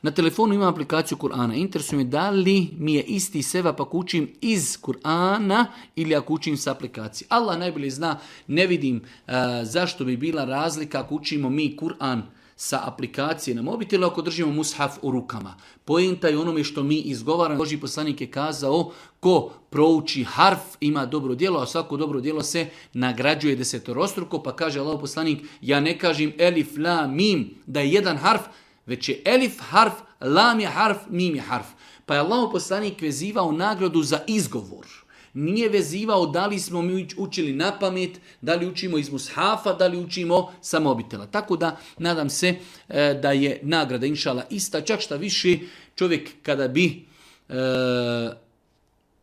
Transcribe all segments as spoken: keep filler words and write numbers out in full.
Na telefonu imam aplikaciju Kur'ana. Interesuje me da li mi je isti sevap ako učim iz Kur'ana ili ako učim sa aplikacije. Allah najbolje zna, ne vidim uh, zašto bi bila razlika ako učimo mi Kur'an sa aplikacije na mobitelu ako držimo mushaf u rukama. Poenta je onome što mi izgovaramo. Božji poslanik je kazao ko prouči harf ima dobro djelo, a svako dobro djelo se nagrađuje desetorostruko. Pa kaže Allah poslanik, ja ne kažem elif, la, mim da je jedan harf, već je elif harf, lam je harf, mim je harf. Pa je Allah poslanik vezivao nagradu za izgovor. Nije vezivao da li smo mi učili na pamet, da li učimo iz mushafa, da li učimo sa mobitela. Tako da nadam se e, da je nagrada inšala ista. Čak šta više čovjek kada bi e,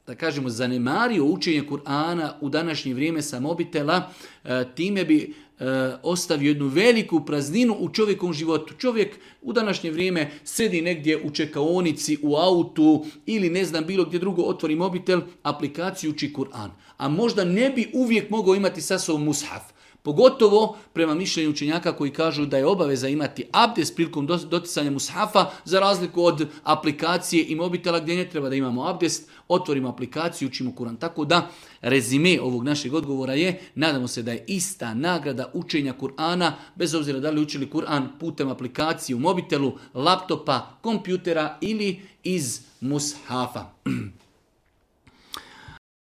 da kažemo zanemario učenje Kur'ana u današnje vrijeme sa mobitela, e, time bi e, ostavio jednu veliku prazninu u čovjekovom životu. Čovjek u današnje vrijeme sedi negdje u čekaonici, u autu ili ne znam bilo gdje drugo otvori mobitel, aplikaciju uči Kur'an. A možda ne bi uvijek mogao imati sa sobom mushaf. Pogotovo prema mišljenju učenjaka koji kažu da je obaveza imati abdest prilikom doticanja mushafa za razliku od aplikacije i mobitela gdje ne treba da imamo abdest, otvorimo aplikaciju, učimo Kur'an. Tako da rezime ovog našeg odgovora je, nadamo se da je ista nagrada učenja Kur'ana, bez obzira da li učili Kur'an putem aplikacije u mobitelu, laptopa, kompjutera ili iz mushafa.